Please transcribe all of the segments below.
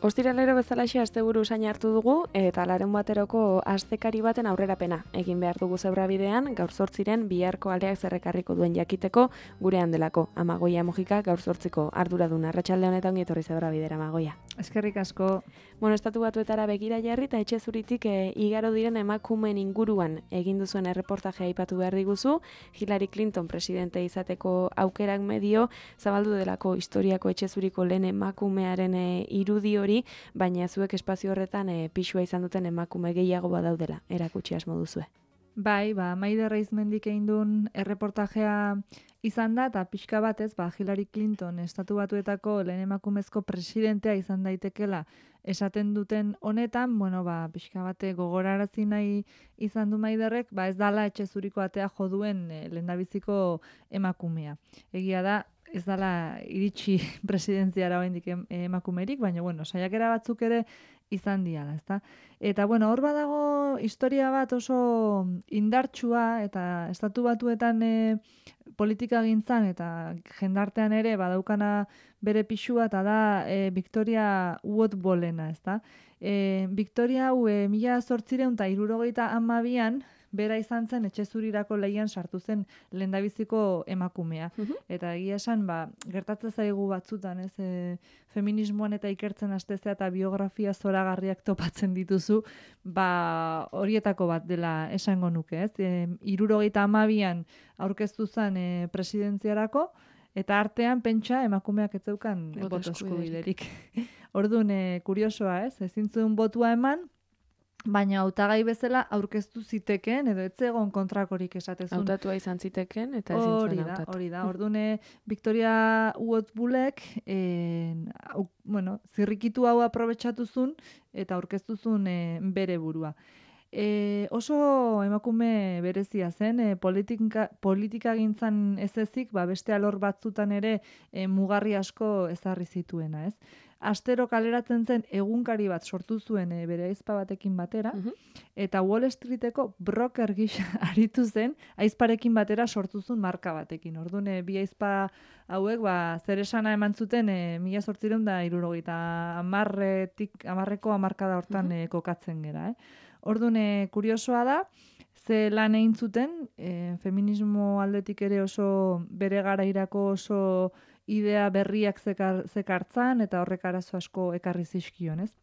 Ostiralero bezalaxe asteburu usaina hartu dugu eta larunbateroko astekari baten aurrerapena egin behar dugu zebrabidean gaur 8 biharko aleak zerrekarriko duen jakiteko gurean delako. Amagoia Mojika gaur 8ko arduradun. Arratsalde honetan ongi etorri zebrabidera, Amagoia. Eskerrik asko. Bueno, Estatu Batuetara begira jarri eta etxe zuritik igaro diren emakumeen inguruan egin duzuen erreportajea aipatu behar diguzu. Hillary Clinton presidente izateko aukerak medio zabaldu delako historiako etxe zuriko lehen emakumearen irudi hori, baina zuek espazio horretan pixua izan duten emakume gehiago badaudela, erakutsi asmo duzue. Bai, Maider Reizmendik egin duen erreportajea izan da, eta pixka batez, Hillary Clinton Estatu Batuetako lehen emakumezko presidentea izan daitekela esaten duten honetan, pixka bate gogorarazi nahi izan du Maiderrek, ez dala etxe zuriko atea jo duen lehendabiziko emakumea. Egia da, ez dala iritsi presidentziara oraindik emakumerik, baina saiakera batzuk ere izan diala, ezta? Eta hor badago historia bat oso indartsua eta Estatu Batuetan politikagintzan eta jendartean ere badaukana bere pixua, eta da Victoria Woodbullena, ezta? Victoria hau 1872an bera izan zen etxe zurirako lehian sartu zen lehendabiziko emakumea. Eta egia esan, gertatzen zaigu batzutan, feminismoan eta ikertzen hastezea eta biografia zoragarriak topatzen dituzu, horietako bat dela esango nuke, ez? 72an aurkeztu zen presidentziarako, eta artean pentsa emakumeak ez zeukan boto eskubiderik. Orduan, kuriosoa, ez? Ezin zuen botua eman, baina hautagai bezala aurkeztu zitekeen, edo ez egon kontrakorik esatezun. Hautatua izan zitekeen, eta ezin zuen hautatu. Hori da. Orduan, Victoria Woodbullek, zirrikitu hau aprobetxatu zuen, eta aurkeztu zuen bere burua. Oso emakume berezia zen, politika gintzan ez ezik, beste alor batzutan ere mugarri asko ezarri zituena, ez? Astero kaleratzen zen egunkari bat sortu zuen bere aizpa batekin batera, eta Wall Streeteko broker gisa aritu zen, aizparekin batera sortu zuen marka batekin. Orduan, bi aizpa hauek, zer esana eman zuten 1870ko hamarkada hortan kokatzen gera. Orduan, kuriosoa da, ze lan egin zuten, feminismo aldetik ere oso bere garairako oso idea berriak zekartzan, eta horrek arazo asko ekarri zizkion, ez?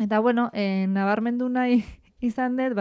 Eta, nabarmendu nahi izan dut,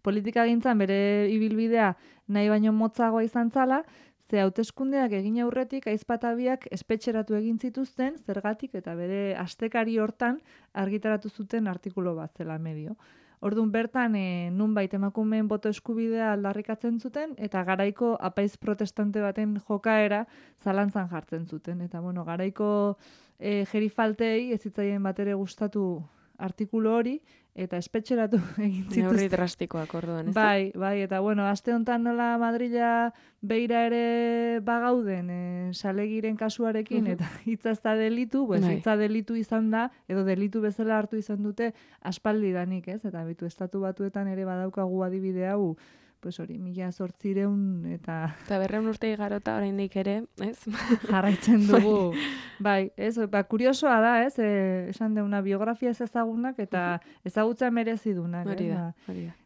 politika gintzan bere ibilbidea nahi baino motzagoa izan zala, ze hauteskundeak egin aurretik aizpatabiak espetxeratu egin zituzten, zergatik eta bere astekari hortan argitaratu zuten artikulu bat zela medio. Orduan bertan, nunbait emakumeen boto eskubidea aldarrikatzen zuten, eta garaiko apaiz protestante baten jokaera zalantzan jartzen zuten. Eta, garaiko gerifaltei ez zitzaien batere gustatu artikulu hori, eta espetxeratu egin zituzten. Neurri drastikoak orduan, ez? Bai, eta aste honetan nola Madrila beira ere bagauden salegiren kasuarekin, eta hitza ez da delitu, hitza delitu izan da, edo delitu bezala hartu izan dute aspaldidanik, ez? Eta Estatu Batuetan ere badaukagu adibide hau, hori, 1800 eta... Eta 200 urte igarota oraindik ere, ez? Jarraitzen dugu. Bai, ez, kuriosoa da, ez? Esan deuna biografia ez ezagunak eta ezagutza merezi dunak. Hori da.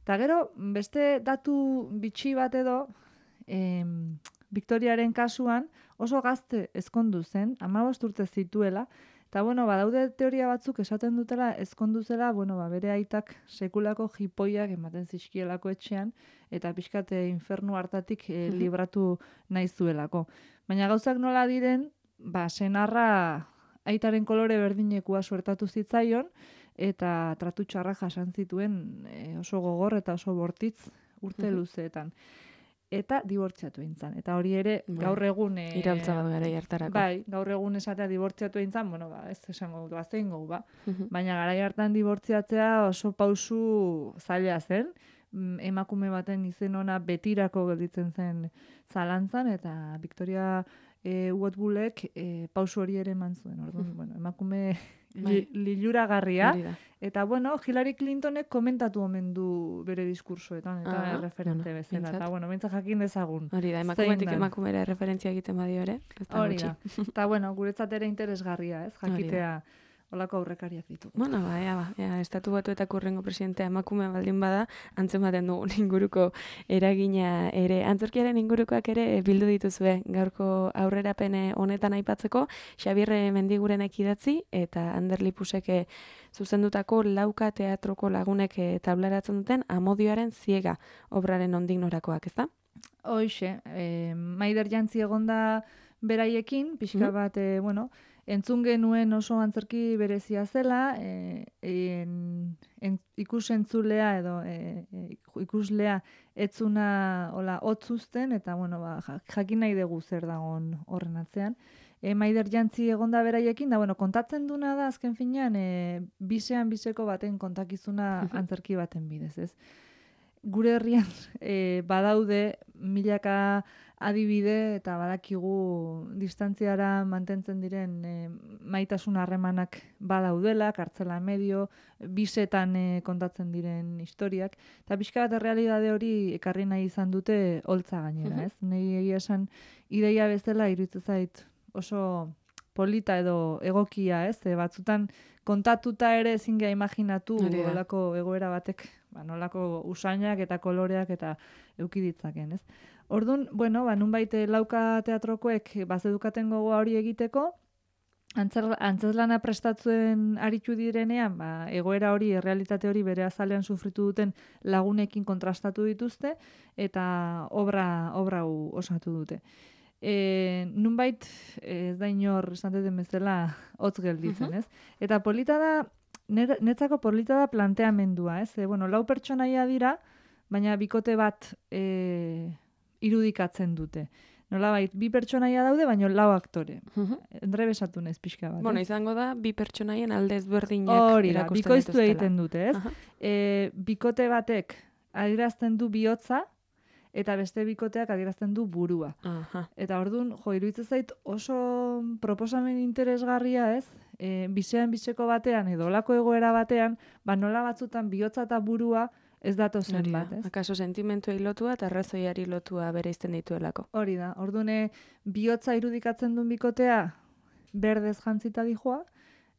Eta gero, beste datu bitxi bat edo, Victoriaren kasuan oso gazte ezkondu zen, 15 urte zituela, eta, badaude teoria batzuk esaten dutela ezkondu zela, bere aitak sekulako jipoiak ematen zizkielako etxean, eta pixkate infernu hartatik libratu nahi zuelako. Baina gauzak nola diren, senarra aitaren kolore berdinekua suertatu zitzaion, eta tratu txarra jasan zituen oso gogor eta oso bortitz urte luzeetan. Eta dibortziatu eintzan. Eta hori ere, gaur egun... Iraultza bat gara hartarako. Bai, gaur egun esatea dibortziatu eintzan, ez esango du, aztein gau, Baina garai hartan dibortziatzea oso pausu zaila zen, emakume baten izen ona betirako gelditzen zen zalantzan, eta Victoria Woodbullek pausu hori ere eman zuen. Orduan, emakume liluragarria. Eta, Hillary Clintonek komentatu omen du bere diskursoetan, eta referente bezala. Eta, bintzat jakin dezagun. Hori da, emakumetik emakumera referentzia egiten badio ere. Hori da. Eta, guretzat ere interesgarria, ez? Jakitea Olako aurrekariak ditu. Bueno, estatu batuetako hurrengo presidentea emakume baldin bada, antzematen dugun inguruko eragina ere. Antzerkiaren ingurukoak ere bildu dituzue gaurko aurrerapen honetan aipatzeko, Xabierre Mendigurenek idatzi eta Ander Lipusek zuzendutako Lauka teatroko lagunek tablaratzen duten Amodioaren ziega obraren nondik norakoak, ezta? Hoxe, Maider Jantzi egonda beraiekin, pixka bat, entzun genuen oso antzerki berezia zela, ikusentzulea edo ikuslea etzuna hotzuzten, eta jakin nahi dugu zer dagoen horren atzean. Maider Jantzi egonda beraiekin, da kontatzen duna da azken finean bisean biseko baten kontakizuna antzerki baten bidez, ez? Gure herrian badaude milaka adibide eta badakigu distantziara mantentzen diren maitasun harremanak badaudela, kartzela medio, bisetan kontatzen diren historiak, eta pixka bat errealitate hori ekarri nahi izan dute holtza gainera, ez? Nei egia esan ideia bezala iruditzen zait oso polita edo egokia, ez? Batzutan kontatuta ere ezin gea imaginatu nolako egoera batek, nolako usainak eta koloreak eta eduki ditzaken, ez? Orduan, nunbait Lauka teatrokoek bazedukaten gogoa hori egiteko, antzezlana prestatzen aritu direnean, egoera hori, errealitate hori bere azalean sufritu duten lagunekin kontrastatu dituzte, eta obra hau osatu dute. Nunbait, ez da inor, esan duten bezala, hotz gelditzen, ez? Eta polita da, netzako polita da planteamendua, ez? 4 pertsonaia dira, baina bikote bat irudikatzen dute. Nolabait, 2 pertsonaia daude, baina 4 aktore. Endrebesatu nez pixka bat. Izango da, 2 pertsonaien alde ezberdinak hori da, bikoiztu egiten dute, ez? Bikote batek adierazten du bihotza, eta beste bikoteak adierazten du burua. Eta orduan, iruditzen zait oso proposamen interesgarria, ez? Bisean biseko batean edo olako egoera batean, nola batzutan bihotza eta burua ez datozen bat, ez? Akaso sentimentuei lotua eta arrazoiari lotua bereizten dituelako. Hori da. Orduan, bihotza irudikatzen duen bikotea berdez jantzita dijoa,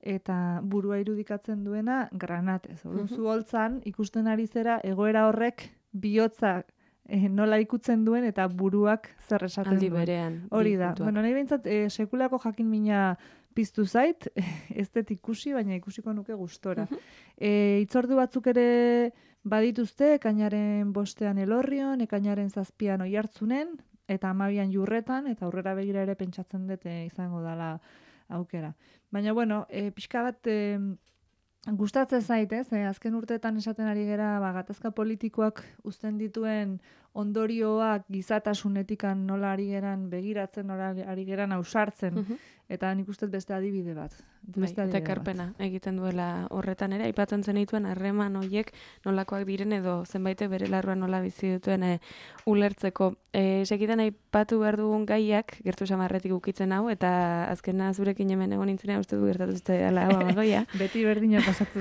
eta burua irudikatzen duena granatez. Orduan, zu holtzan ikusten ari zera egoera horrek bihotzak nola ikutzen duen eta buruak zer esaten aldi duen. Berean. Hori da. Nahi behintzat, sekulako jakin mina piztu zait, ez dut ikusi, baina ikusiko nuke gustora. Itzordu batzuk ere badituzte, ekainaren 5ean Elorrion, ekainaren 7ean Oiartzunen, eta 12ean Jurretan, eta aurrera begira ere pentsatzen dut izango dela aukera. Baina, pixka bat gustatzen zait, ez? Azken urteetan esaten ari gera, gatazka politikoak uzten dituen ondorioak gizatasunetikan nola ari geran begiratzen, nola ari geran ausartzen, eta nik uste beste adibide bat. Eta ekarpena egiten duela horretan ere, aipatzen zenituen harreman horiek nolakoak diren edo zenbaitek bere larruan nola bizi dutuen ulertzeko. Segitan aipatu behar dugun gaiak, gertu samarretik ukitzen hau, eta azkena zurekin hemen egon nintzena uste du gertatu zute ala hau amagoia. Beti berdina pasatu.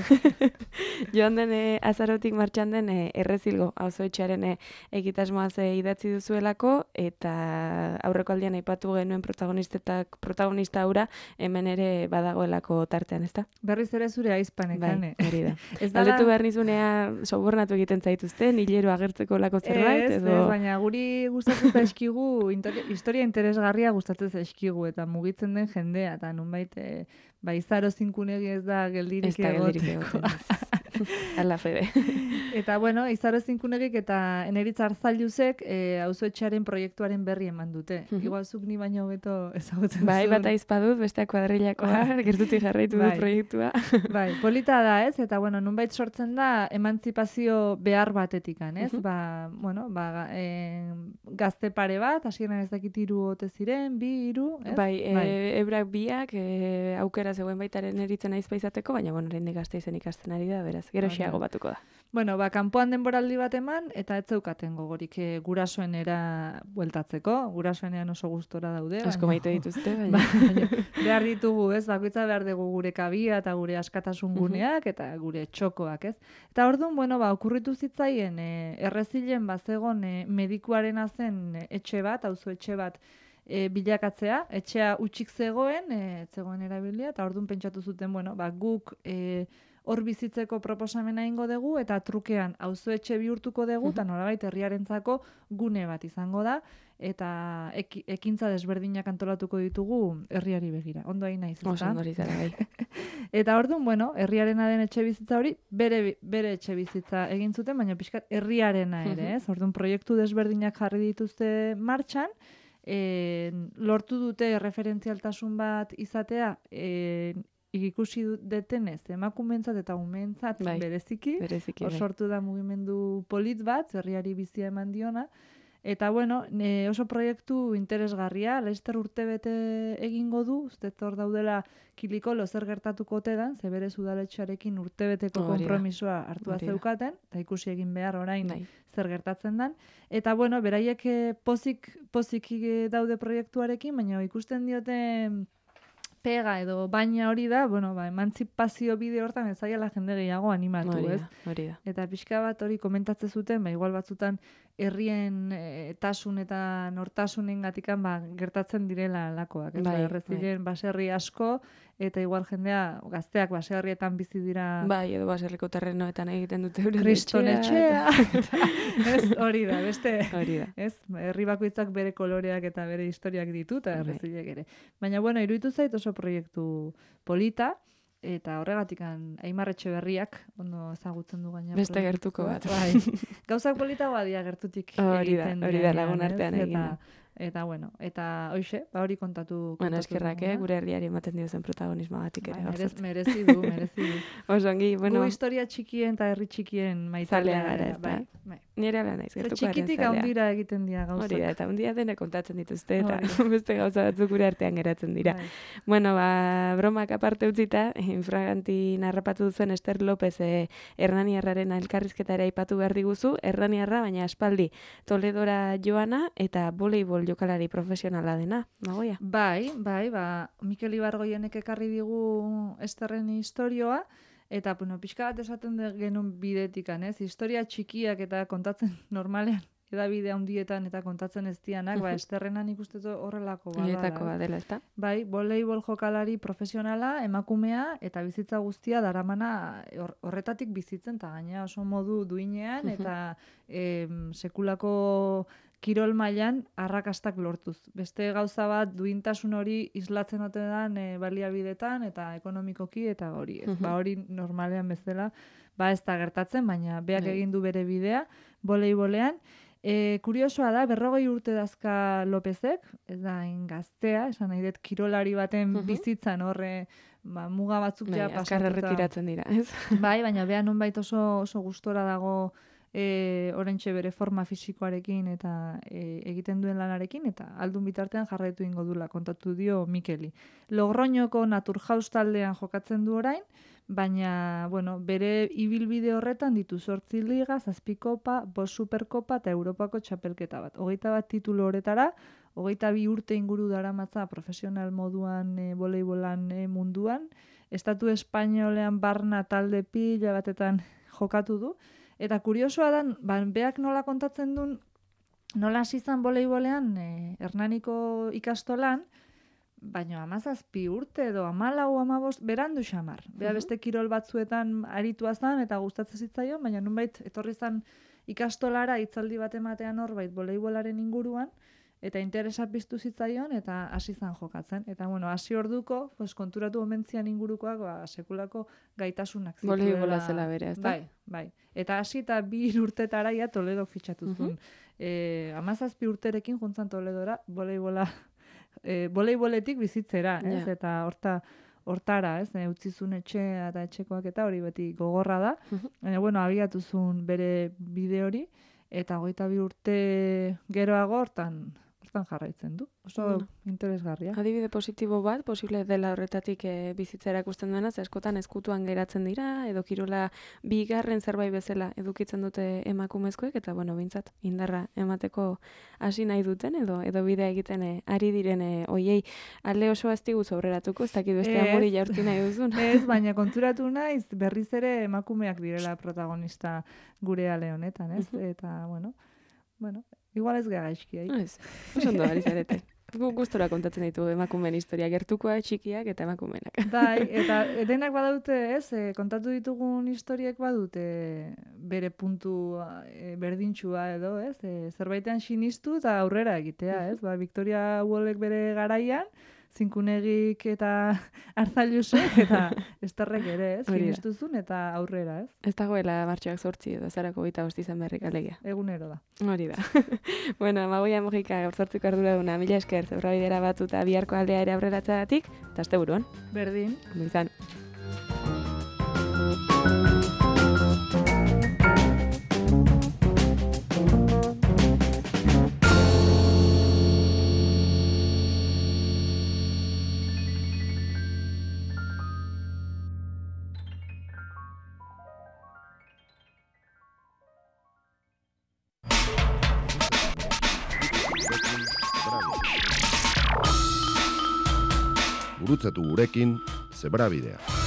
Joan den azarotik martxan den Errezilgo auzoetxearen egitasmoaz idatzi duzuelako, eta aurreko aldian aipatu genuen protagonista hura hemen ere badagoelako tartean, ezta? Berriz ere zure aizpanekan. Hori da. Galdetu behar nizunea sobornatu egiten zaituzten, hilero agertzeko lako zerbait, edo... baina guri gustatzen zaizkigu, historia interesgarria gustatzen zaizkigu, eta mugitzen den jendea, eta nunbait, Izaro Zinkunegi ez da geldirik egoteko. Ala fede. Eta, Izaro Zinkunegik eta Eneritz Arzailuzek auzoetxearen proiektuaren berri eman dute. Igual zuk ni baino hobeto ezagutzen zuen. Bai, bat aizpadut, besteak kuadrilakoa, gertutik jarraitu du proiektua. Bai, polita da, ez? Eta, nunbait sortzen da emantzipazio behar batetikan, ez? Gazte pare bat, hasieran ez dakit 3 ote ziren, 2, 3, ez? Bai, ebrak biak, aukera zegoen baitaren eritzen aizpa izateko, baina, oraindik gazte izen ikasten ari da, beraz, gero xeago batuko da. Kanpoan denboraldi bat eman, eta ez zeukaten gogorik gurasoenera bueltatzeko. Gurasoenean oso gustora daude. Asko maite dituzte, baina. Behar ditugu, ez? Bakoitza behar dugu gure kabia eta gure askatasun guneak eta gure txokoak, ez? Eta orduan, okurritu zitzaien Errezilen bazegon medikuaren zen etxe bat, auzo etxe bat, bilakatzea, etxea utxik zegoen, zegoen erabilia, eta orduan pentsatu zuten, bueno, guk hor bizitzeko proposamena ingo dugu, eta trukean auzoetxe bihurtuko dugu, eta nolabait herriarentzako gune bat izango da, eta ekintza desberdinak antolatuko ditugu herriari begira. Ondo hain naiz, ezta? Oso ondo hori zara, bai. Eta orduan, bueno, herriarena den etxe bizitza hori, bere etxe bizitza egin zuten, baina pixkat herriarena ere, ez? Orduan, proiektu desberdinak jarri dituzte martxan, lortu dute referentzialtasun bat izatea, ikusi detenez, emakumeentzat eta umeentzat bereziki, hor sortu da mugimendu polit bat, herriari bizia eman diona, eta bueno, oso proiektu interesgarria, Laister urtebete egingo du, uste hor daudela Kilikolo zer gertatuko ote dan, ze bere udaletxearekin urtebeteko konpromisoa hartua zeukaten, eta ikusi egin behar orain zer gertatzen dan. Eta bueno, beraiek pozik daude proiektuarekin, baina ikusten diote pega edo baina hori da, bueno, emantzipazio bide hortan ez zaiala jende gehiago animatu, ez? Hori da. Eta pixka bat hori komentatzen zuten, igual batzutan herrien tasun eta nortasunen gatikan gertatzen direla lakoak. Errezilen baserri asko, eta igual jendea, gazteak baserrietan bizi dira... Bai, edo baserriko terrenoetan egiten dute euren kriston etxea. Ez, hori da, beste... Hori da. Ez, herri bakoitzak bere koloreak eta bere historiak ditu, eta errezilek ere. Baina, bueno, iruditu zait oso proiektu polita, eta horregatik Aimar Etxeberriak ondo ezagutzen du gaina. Beste gertuko bat. Bai. Gauzak politagoa dira gertutik egiten. Hori da lagun artean egin da. Eta bueno, eta hoxe, hori kontatu. Bueno, eskerrak, gure herriari ematen diozen protagonismoagatik ere. Merezi du. Oso ongi, bueno. Gu historia txikien eta herri txikien maitalea gara, ez da. Nire ala naiz, gertuko garen zalea. Txikitik handira egiten dira gauzak. Hori da, eta handia dena kontatzen dituzte, eta beste gauza batzuk gure artean geratzen dira. Bueno, bromak aparte utzita, infraganti narrapatu duzen Ester López Hernaniarraren elkarrizketara aipatu behar diguzu, Hernaniarra, baina aspaldi Toledora joana eta voleibol jokalari profesionala dena, nagoia? Bai, Mikel Ibargoienek ekarri digu Esterren historioa, eta, bueno, pixka bat esaten genuen bidetikan, ez? Historia txikiak eta kontatzen normalean, edabide handietan eta kontatzen ez dianak, Esterrenan ikustetu horrelako bada. Horietako badela, ezta? Bai, voleibol jokalari profesionala, emakumea, eta bizitza guztia daramana horretatik bizitzen, eta gaina oso modu duinean, eta sekulako kirol mailan arrakastak lortuz. Beste gauza bat duintasun hori islatzen ote dan baliabidetan eta ekonomikoki eta hori. Hori normalean bezala ez da gertatzen, baina beak egin du bere bidea voleibolean. Kuriosoa da, 40 urte dazka Lopezek, ez da gaztea, esan nahi dut kirolari baten bizitzan horre muga batzuk ja pasatuta. Azkar erretiratzen dira, ez? Bai, baina beha nonbait oso gustora dago oraintxe bere forma fisikoarekin eta egiten duen lanarekin, eta aldun bitartean jarraitu ingo dula, kontatu dio Mikeli. Logroñoko Naturhaus taldean jokatzen du orain, baina, bueno, bere ibilbide horretan ditu 8 liga, 7 kopa, 5 superkopa eta Europako txapelketa bat. 21 titulu horretara, 22 urte inguru daramatza profesional moduan voleibolan munduan, Estatu Espainolean barna talde pila batetan jokatu du, eta kuriosoa da, beak nola kontatzen duen, nola hasi izan voleibolean Hernaniko ikastolan, baina 17 urte edo 14-15 berandu xamar. Bea beste kirol batzuetan aritua zan eta gustatzen zitzaion, baina nunbait etorri zan ikastolara hitzaldi bat ematean horbait voleibolaren inguruan, eta interesa piztu zitzaion eta hasi zan jokatzen. Eta bueno, hasi orduko, konturatu omentzian ingurukoak sekulako gaitasunak zituela. Voleibola zela bere, ez da? Bai. Eta hasi eta 2 urtetara ja Toledok fitxatu zuen. 17 urterekin juntzan Toledora voleiboletik bizitzera, ez? Eta hortara, ez? Utzizun etxea eta etxekoak eta hori beti gogorra da. Baina, bueno, abiatu zuen bere bide hori, eta 22 urte geroago hortan jarraitzen du. Oso interesgarria. Adibide positibo bat, posible dela horretatik bizitza erakusten duena, ze askotan ezkutuan geratzen dira, edo kirola bigarren zerbait bezala edukitzen dute emakumezkoek, eta bueno, bintzat, indarra emateko hasi nahi duten, edo bidea egiten ari diren oiei alde oso aztigu aurreratuko, ez dakit beste amori jaurti nahi duzun. Ez, baina konturatu naiz, berriz ere emakumeak direla protagonista gure ale honetan, ez? Eta, bueno, igual ez gara gaizki, Ez, oso ondo ari zarete. Gustora kontatzen ditu emakumeen historia, gertukoa, txikiak eta emakumeenak. Bai, eta denak badaute, ez, kontatu ditugun historiek badute bere puntu berdintxua edo, ez, zerbaitean sinistu eta aurrera egitea, ez, Victoria Woolek bere garaian, Zinkunegik eta Arzailusek eta Esterrek ere, ez, sinistuzun eta aurrera, ez. Ez dagoela martxoak 8 edo zarako 25 izan berrik alegia. Egunero da. Hori da. Bueno, Amagoia Mojika gaurtzartuko arduraduna, mila esker, zebrabidera batu eta biharko aldea ere aurreratzagatik, eta asteburuan. Berdin. Ondo izan. Gurutzatu gurekin Zebrabidea.